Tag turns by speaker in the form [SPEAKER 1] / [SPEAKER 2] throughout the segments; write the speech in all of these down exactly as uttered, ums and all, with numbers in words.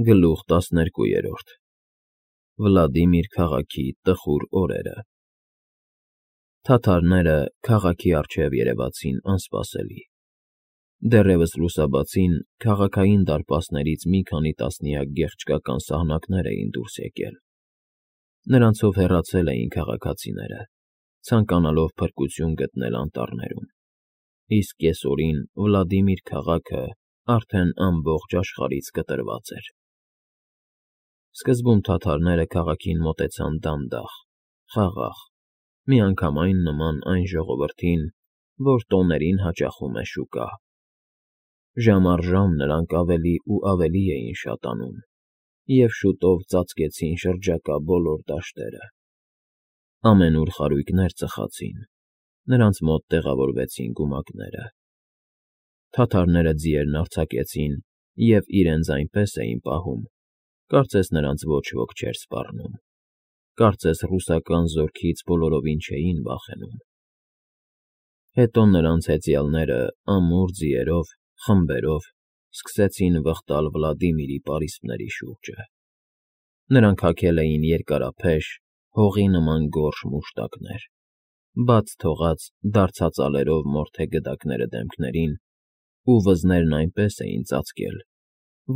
[SPEAKER 1] Գլուխ տասներկուերորդ Վլադիմիր քաղաքի տխուր օրերը Թաթարները քաղաքի առջև երևացին անսպասելի։ Դեռևս լուսաբացին քաղաքային դարպասներից մի քանի տասնյակ գեղեցկական սահնակներ էին դուրս եկել։ Նրանցով հեռացել էին քաղաքացիները, ցանկանալով փրկություն գտնել անտառներում, իսկ կեսօրին Վլադիմիր քաղաքը արդեն ամբողջ աշխարհից կտրված էր։ Սկզբում թաթարները քաղաքին մոտեցան դանդաղ, խաղաղ, միանգամայն նման այն ժողովրդին, որ տոներին հաճախում է շուկա։ Ժամ առ ժամ նրանք ավելի ու ավելի էին շատանում և շուտով ծածկեցին շրջակա բոլոր դաշտերը։ Ամենուր խարույկներ ծխացին, նրանց մոտ տեղավորվեցին գումակները։ Թաթարները ձիերն արձակեցին և իրենց այնպես էին պահում, կարծես նրանց ոչ ոք չէր սպառնում, կարծես ռուսական զորքից բոլորովին չէին վախենում։ Հետո նրանց հեծյալները ամուր ձիերով, խմբերով սկսեցին վխտալ Վլադիմիրի պարիսպների շուրջը։ Նրանք հագել էին երկարափեշ, հողի նման գորշ մուշտակներ, բաց թողած դարձածալերով մորթե գդակները դեմքներին ու վզներն այնպես էին ծածկել,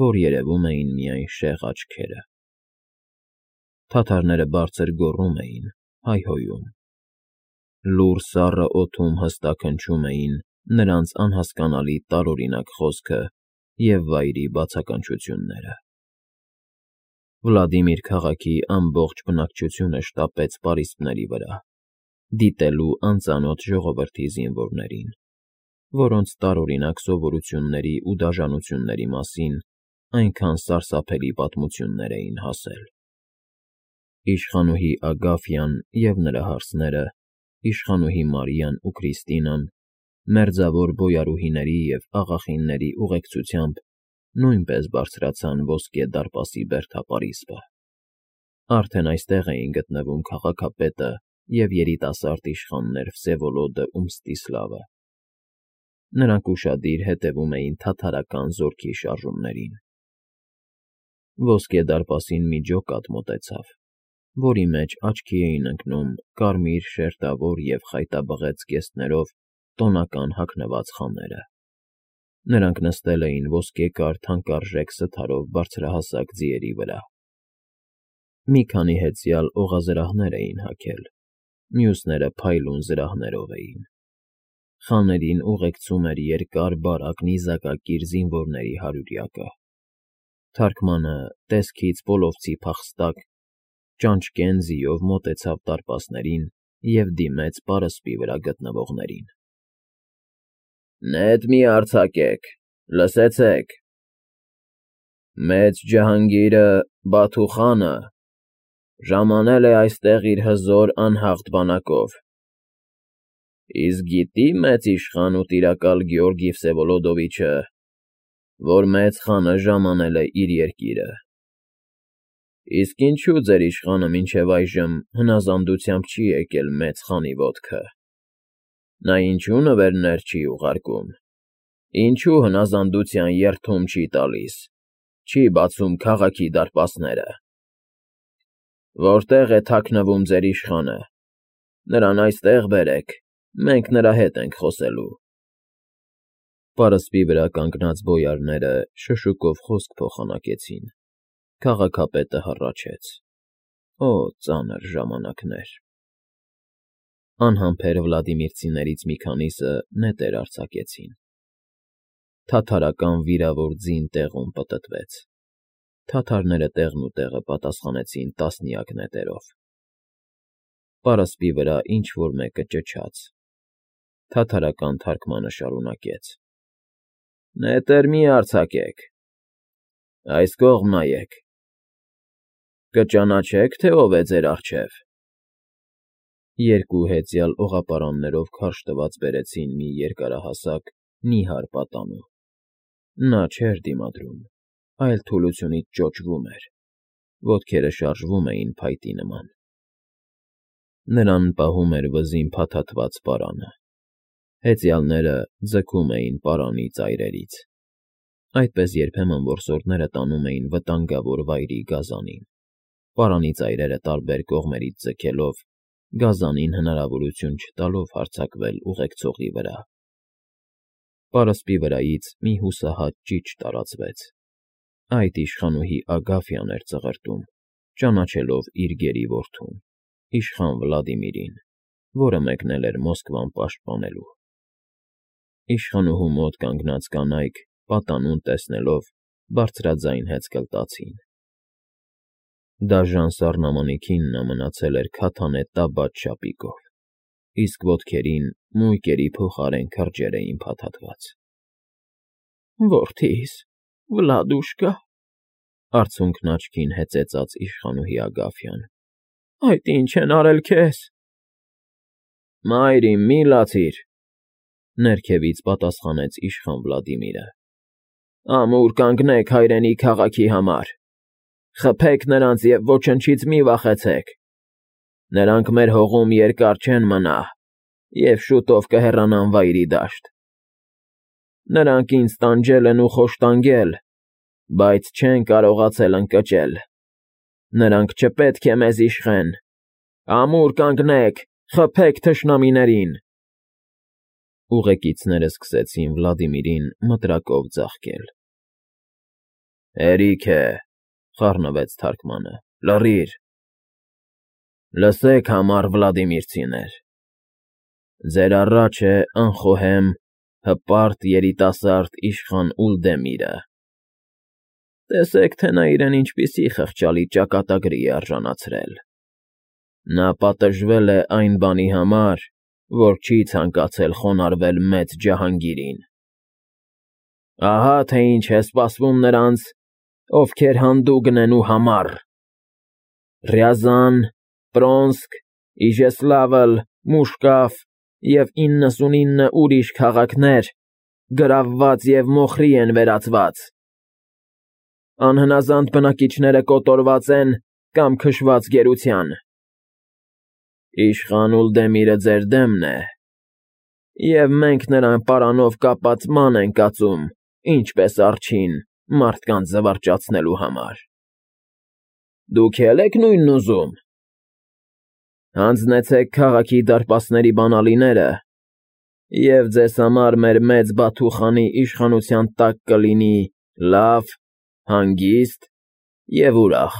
[SPEAKER 1] որ երևում էին միայն շեղ աչքերը։ Թաթարները բարձր գոռում էին, հայհոյում։ Լուռ սառը օդում հստակ հնչում էին նրանց անհասկանալի տարօրինակ խոսքը և վայրի բացականչությունները։ Վլադիմիր քաղաքի ամբողջ բնակչությունը շտապեց պարիսպների վրա, դիտելու անծանոթ ժողովրդի զինվորներին, որոնց տարօրինակ սովորությունների ու դաժանությունների մասին այնքան սարսափելի պատմություններ էին հասել։ Իշխանուհի Ագաֆյան և նրա հարսները, իշխանուհի Մարիան ու Քրիստինան, մերձավոր բոյարուհիների և աղախինների ուղեկցությամբ նույնպես բարձրացան ոսկե դարպասի բերդապարիսպը։ Արդեն այստեղ էին գտնվում քաղաքապետը և երիտասարդ իշխաններ Վսևոլոդն ու Մստիսլավը։ Նրանք ուշադիր հետևում էին թաթարական զորքի շարժումներին։ Ոսկե դարպասին մի ջոկատ մոտեցավ, որի մեջ աչքի էին ընկնում կարմիր շերտավոր և խայտաբղետ զգեստներով տոնական հագնված խաները։ Նրանք նստել էին ոսկեկար թանկարժեք սթարով բարձրահասակ ձիերի վրա։ Մի քանի հեծյալ օղազրահներ էին հագել, մյուսները փայլուն զրահներով էին։ Խաներին ուղեկցում էր երկար բարակ նիզակակիր զինվորների հարյուրյակը։ Թարքմանը, տեսքից պոլովցի փախստակ, ճանճկեն ձիով մոտեցավ դարպասներին և դիմեց պարսպի վրա գտնվողներին։ «Նետ մի արձակեք, լսեցեք… Մեծ ջհանգիրը՝ Բաթու խանը ժամանել է այստեղ իր հզոր անհաղթ բանակով։ Իսկ գիտի՞ մեծ իշխան ու տիրակալ Գեորգի Վսևոլոդովիչը, որ մեծ խանը ժամանել է իր երկիրը։ Իսկ ինչո՞ւ ձեր իշխանը մինչև այժմ հնազանդությամբ չի եկել մեծ խանի ոտքը։ Նա ինչո՞ւ նվերներ չի ուղարկում, ինչո՞ւ հնազանդության երդում չի տալիս, չի բացում քաղաքի դարպասները։ Որտե՞ղ է թաքնվում ձեր իշխանը, նրան այստեղ բերեք, մենք նրա հետ ենք խոսելու»։ Պարսպի վրա կանգնած բոյարները շշուկով խոսք փոխանակեցին։ Քաղաքապետը հառաչեց. «Օ ծանր ժամանակներ»։ Անհամբեր վլադիմիրցիներից մի քանիսը նետեր արձակեցին։ Թաթարական վիրավոր ձին տեղում պտտվեց։ Թաթարները տեղնուտեղը պատասխանեցին տասնյակ նետերով։ Պարսպի վրա ինչ֊որ մեկը ճչաց։ Թաթարական թարգմանը շարունակեց. «Նետեր մի՛ արձակեք, այս կողմ նայեք… Կճանաչե՞ք, թե ով է ձեր առջև»։ Երկու հեծյալ օղապարաններով քարշ տված բերեցին մի երկարահասակ, նիհար պատանու։ Նա չէր դիմադրում, այլ թուլությունից ճոճվում էր, ոտքերը շարժվում էին փայտի նման։ Նրան պահում էր վզին փաթաթված պարանը։ Հեծյալները ձգում էին պարանի ծայրերից։ Այդպես երբեմն որսորդները տանում էին վտանգավոր վայրի գազանին, պարանի ծայրերը տարբեր կողմերից ձգելով, գազանին հնարավորություն չտալով հարձակվել ուղեկցողի վրա։ Պարսպի վրայից մի հուսահատ ճիչ տարածվեց. այդ իշխանուհի Ագաֆյան էր ծղրտում, ճանաչելով իր գերի որդուն, իշխան Վլադիմիրին, որը մեկնել էր Մոսկվան պաշտպանելու։ Իշխանուհու մոտ կանգնած կանայք, պատանուն տեսնելով, բարձրաձայն հեծկլտացին։ Դաժան սառնամանիքին նա մնացել էր քաթանե տաբադ շապիկով, իսկ ոտքերին մույկերի փոխարեն քրջեր էին փաթաթված։ Որդիս, Վլադուշկա, արցունքն աչքին հեծեծաց իշխանուհի Ագաֆյան, այդ ինչ են արել քեզ։ Մայր իմ, մի լացիր, ներքևից պատասխանեց իշխան Վլադիմիրը։ Ամուր կանգնեք հայրենի քաղաքի համար, խփեք նրանց և ոչնչից մի վախեցեք։ Նրանք մեր հողում երկար չեն մնա և շուտով կհեռանան Վայրի դաշտ։ Նրանք ինձ տանջել են ու խոշտանգել, բայց չեն կարողացել ընկճել։ Նրանք չպետք է մեզ իշխեն։ Ամուր կանգնեք, խփեք թշնամիներին։ Ուղեկիցները սկսեցին Վլադիմիրին մտրակով ձաղկել։ Հերիք է, խառնվեց թարգմանը, լռիր։ Լսեք, համառ վլադիմիրցիներ, ձեր առաջ է անխոհեմ, հպարտ երիտասարդ իշխան Ուլդեմիրը։ Տեսեք, թե նա իրեն ինչպիսի խղճալի ճակատագրի է արժանացրել։ Նա պատժվել է այն բանի համար, որ չի ցանկացել խոնարհվել մեծ Ջահանգիրին։ Ահա թե ինչ է սպասվում նրանց, ովքեր հանդուգն են ու համառ. Ռյազան, Պրոնսկ, Իժեսլավլ, Մուշկաֆ և իննսունինը ուրիշ քաղաքներ գրավված և մոխրի են վերածված։ Անհնազանդ բնակիչները կոտորված են կամ քշված գերության։ Իշխան Ուլդեմիրը ձեր դեմն է, և մենք նրան պարանով կապած ման ենք ածում, ինչպես արջին, մարդկանց զվարճացնելու համար։ Դուք է՞լ եք նույնն ուզում։ Հանձնեցեք քաղաքի դարպասների բանալիները, և ձեզ համար մեր մեծ Բաթուխանի իշխանության տակ կլինի լավ, հանգիստ և ուրախ։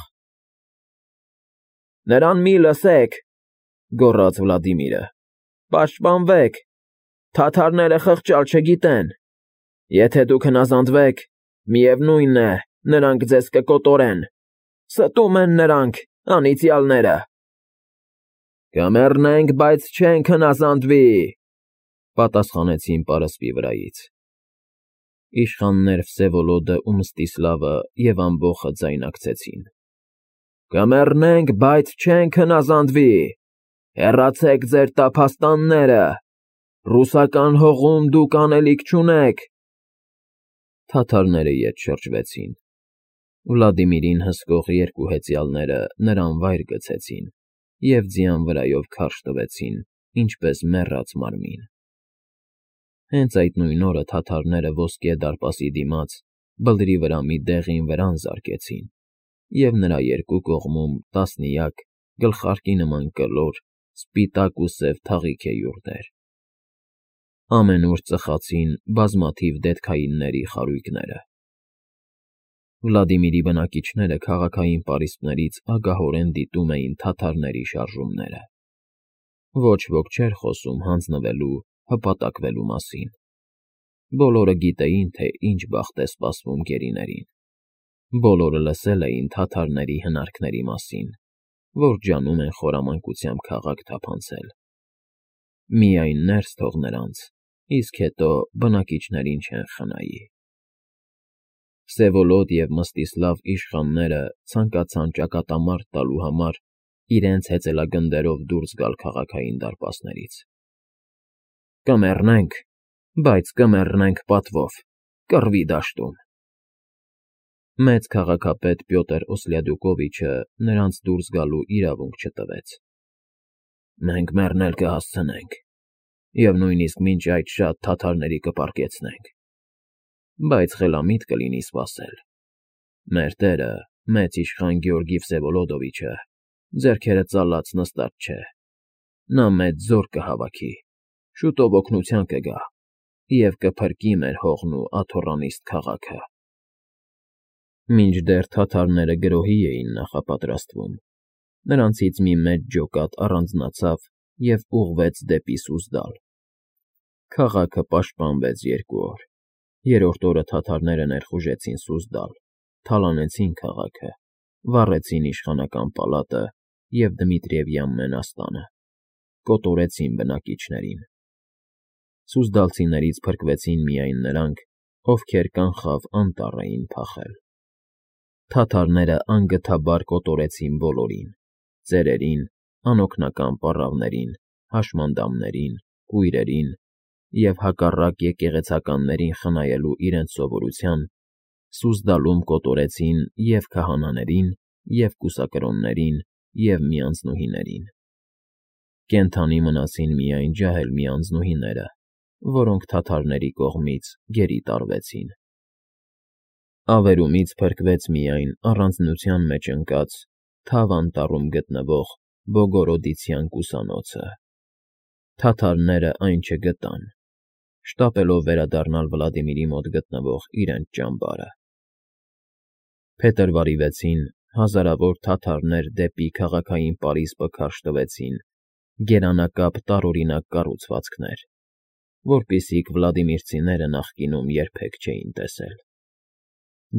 [SPEAKER 1] Նրան մի լսեք, գոռաց Վլադիմիրը, պաշտպանվեք, թաթարները խղճալ չգիտեն, եթե դուք հնազանդվեք, միևնույն է, նրանք ձեզ կկոտորեն, ստում են նրանք, անիծյալները։ Կմեռնենք, բայց չենք հնազանդվի, պատասխանեցին պարսպի վրայից։ Իշխաններ Վսևոլոդը ու Մստիսլավը և ամբոխը ձայնակցեցին. Կմեռնենք, բայց չենք հնազանդվի, հեռացեք ձեր տափաստանները, ռուսական հողում դուք անելիք չունեք։ Թաթարները ետ շրջվեցին։ Վլադիմիրին հսկող երկու հեծյալները նրան վայր գցեցին և ձյան վրայով քարշ տվեցին, ինչպես մեռած մարմին։ Հենց այդ նույն օրը թաթարները ոսկե դարպասի դիմաց բլրի վրա մի դեղին վրան զարկեցին և նրա երկու կողմում տասնյակ գլխարկի նման կլոր, սպիտակ ու սև թաղիքե յուրդեր։ Ամենուր ծխացին բազմաթիվ դետքայինների խարույկները։ Վլադիմիրի բնակիչները քաղաքային պարիսպներից ագահորեն դիտում էին թաթարների շարժումները։ Ոչ ոք չէր խոսում հանձնվելու, հպատակվելու մասին։ Բոլորը գիտեին, թե ինչ բախտ է սպասվում գերիներին։ Բոլորը լսել էին թաթարների հնարքների մասին, որ ջանում են խորամանկությամբ քաղաք թափանցել։ Միայն ներս թող նրանց, իսկ հետո բնակիչներին չեն խնայի։ Վսևոլոդ և Մստիսլավ իշխանները ցանկացան ճակատամարտ տալու համար իրենց հեծելագնդերով դուրս գալ քաղաքային դարպասներից։ Կմեռնենք, բայց կմեռնենք պատվով, կռվի դաշտում։ Մեծ քաղաքապետ Պյոտր Օսլյադյուկովիչը նրանց դուրս գալու իրավունք չտվեց։ Մենք մեռնել կհասցնենք և նույնիսկ մինչ այդ շատ թաթարների կպառկեցնենք։ բայց խելամիտ կլինի սպասել։ Մեր տերը, մեծ իշխան Գեորգի Վսևոլոդովիչը, ձեռքերը ծալած նստած չէ։ Նա մեծ զոր կհավաքի, շուտով օգնության կգա և կփրկի մեր հողն ու աթոռանիստ քաղաքը։ Մինչդեռ թաթարները գրոհի էին նախապատրաստվում, նրանցից մի մեծ ջոկատ առանձնացավ և ուղղվեց դեպի Սուզդալ։ Քաղաքը պաշտպանվեց երկու օր։ Երրորդ օրը թաթարները ներխուժեցին Սուզդալ, թալանեցին քաղաքը, վառեցին իշխանական պալատը և Դմիտրիևյան մենաստանը, կոտորեցին բնակիչներին։ Սուզդալցիներից փրկվեցին միայն նրանք, ովքեր կանխավ անտառ էին փախել։ Թաթարները անգթաբար կոտորեցին բոլորին՝ ծերերին, անօգնական պառավներին, հաշմանդամներին, կույրերին և, հակառակ եկեղեցականներին խնայելու իրենց սովորության, Սուզդալում կոտորեցին և՛ քահանաներին, և՛ կուսակրոններին, և միանձնուհիներին։ Կենդանի մնացին միայն ջահելմի անձնուհիները, որոնք թաթարների կողմից գերի տարվեցին։ Ավերումից փրկվեց միայն առանձնության մեջ ընկած Թավ անտառում գտնվող Բոգորոդիցյան կուսանոցը։ Թաթարները այն չգտան, շտապելով վերադառնալ Վլադիմիրի մոտ գտնվող իրենց ճամբարը։ Փետրվարի վեցին հազարավոր թաթարներ դեպի քաղաքային պարիսպը քարշ տվեցին գերանակապ տարօրինակ կառուցվածքներ, որպիսիք վլադիմիրցիները նախկինում երբեք չէին տեսել։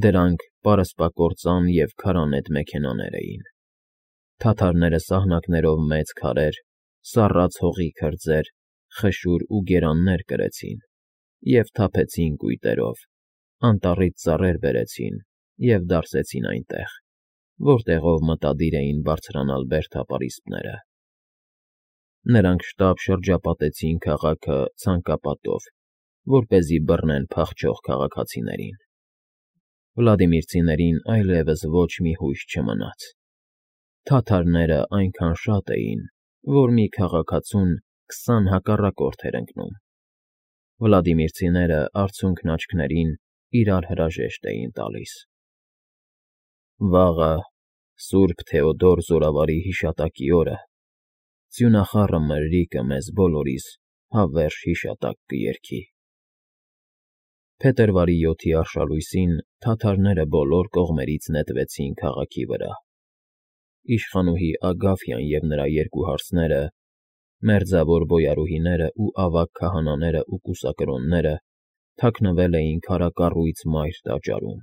[SPEAKER 1] Դրանք պարսպակործան և քարանետ մեքենաներ էին։ Թաթարները սահնակներով մեծ քարեր, սառած հողի քրձեր, խշուր ու գերաններ կրեցին և թափեցին կույտերով, անտառից ծառեր բերեցին և դարսեցին այնտեղ, որտեղով մտադիր էին բարձրանալ բերդապարիսպները։ Նրանք շտապ շրջապատեցին քաղաքը ցանկապատով, որպեսզի բռնեն փախչող քաղաքացիներին։ Վլադիմիրցիներին այլևս ոչ մի հույս չմնաց։ Թաթարները այնքան շատ էին, որ մի քաղաքացուն քսան հակառակորդ էր ընկնում։ Վլադիմիրցիները արցունքն աչքներին իրար հրաժեշտ էին տալիս։ Վաղը, Սուրբ Թեոդոր զորավարի հիշատակի օրը, ձյունախառը մրրիկը մեզ բոլորիս հավերժ հիշատակ կերգի։ Փետրվարի յոթի արշալույսին թաթարները բոլոր կողմերից նետվեցին քաղաքի վրա։ Իշխանուհի Ագաֆյան և նրա երկու հարսները, մերձավոր բոյարուհիներն ու ավագ քահանաներն ու կուսակրոնները թաքնվել էին քարակառույց մայր տաճարում։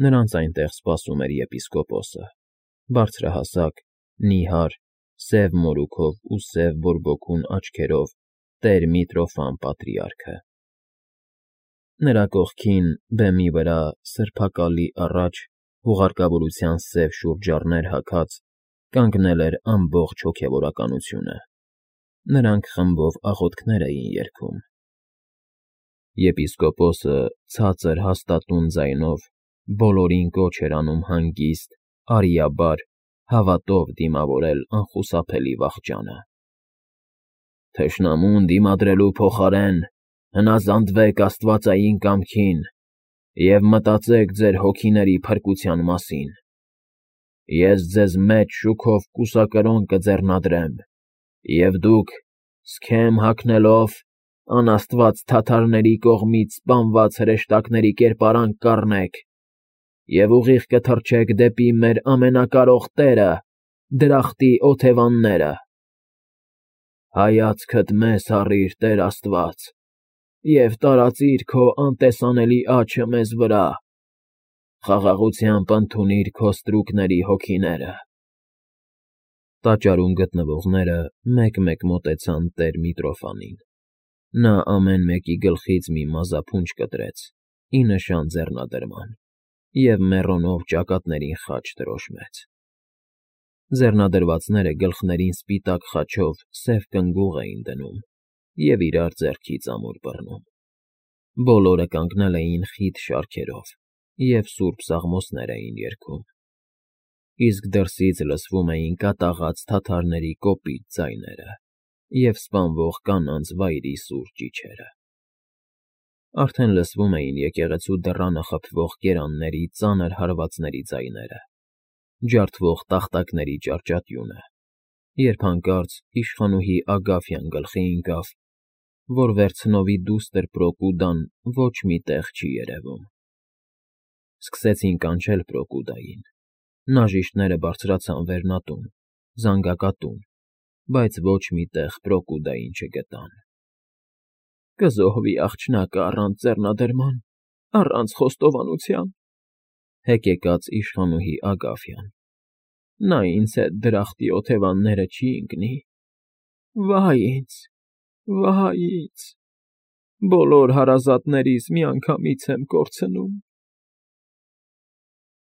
[SPEAKER 1] Նրանց այնտեղ սպասում էր եպիսկոպոսը, բարձրահասակ, նիհար, սև մորուքով ու սև բորբոքուն աչքերով տեր Միտրոֆան պատրիարքը։ Նրա կողքին, բեմի վրա, սրբակալի առաջ, հուղարկավորության սև շուրջառներ հագած, կանգնել էր ամբողջ հոգևորականությունը։ Նրանք խմբով աղոթքներ էին երգում։ Եպիսկոպոսը ցածր հաստատուն ձայնով բոլորին կոչ էր անում հանգիստ, արիաբար, հավատով դիմավորել անխուսափելի վախճանը։ «Թշնամուն դիմադրելու փոխարեն հնազանդվեք աստվածային կամքին և մտածեք ձեր հոգիների փրկության մասին։ Ես ձեզ մեծ շուքով կուսակրոն կձեռնադրեմ, և դուք, սքեմ հագնելով, անաստված թաթարների կողմից սպանված հրեշտակների կերպարանք կառնեք և ուղիղ կթռչեք դեպի մեր ամենակարող տերը, դրախտի օթևանները։ Հայացքդ մեզ հառիր, Տեր Աստված, և տարածիր քո անտեսանելի աջը մեզ վրա, խաղաղությամբ ընդունիր քո ստրուկների հոգիները»։ Տաճարում գտնվողները մեկ֊մեկ մոտեցան տեր Միտրոֆանին։ Նա ամեն մեկի գլխից մի մազափունջ կտրեց, ի նշան ձեռնադրման, և մեռոնով ճակատներին խաչ դրոշմեց։ Ձեռնադրվածները գլխներին սպիտակ խաչով սև կնգուղ էին դնում և իրար ձեռքից ամուր բռնում։ Բոլորը կանգնել էին խիտ շարքերով և սուրբ սաղմոսներ էին երգում։ Իսկ դրսից լսվում էին կատաղած թաթարների կոպիտ ձայները և սպանվող կանանց վայրի սուր ճիչերը։ Արդեն լսվում էին եկեղեցու դռանը խփվող կերանների ծանր հարվածների ձայները, ջարդվող տախտակների ճարճատյունը, երբ հանկարծ իշխանուհի Ագաֆյան գլխի ընկավ, որ վերցնովի դուստր Պրոկուդան ոչ մի տեղ չի երևում։ Սկսեցին կանչել Պրոկուդային, նաժիշտները բարձրացան վերնատուն, զանգակատուն, բայց ոչ մի տեղ Պրոկուդային չգտան։ «Կզոհվի աղջնակը առանց ձեռնադրման, առանց խոստովանության,֊ հեկեկաց իշխանուհի Ագաֆյան,֊ նա ինձ հետ դրախտի օթևանները չի ընկնի… Վա՜յ ինձ, վա՜յ ինձ… Բոլոր հարազատներիս միանգամից եմ կորցնում»։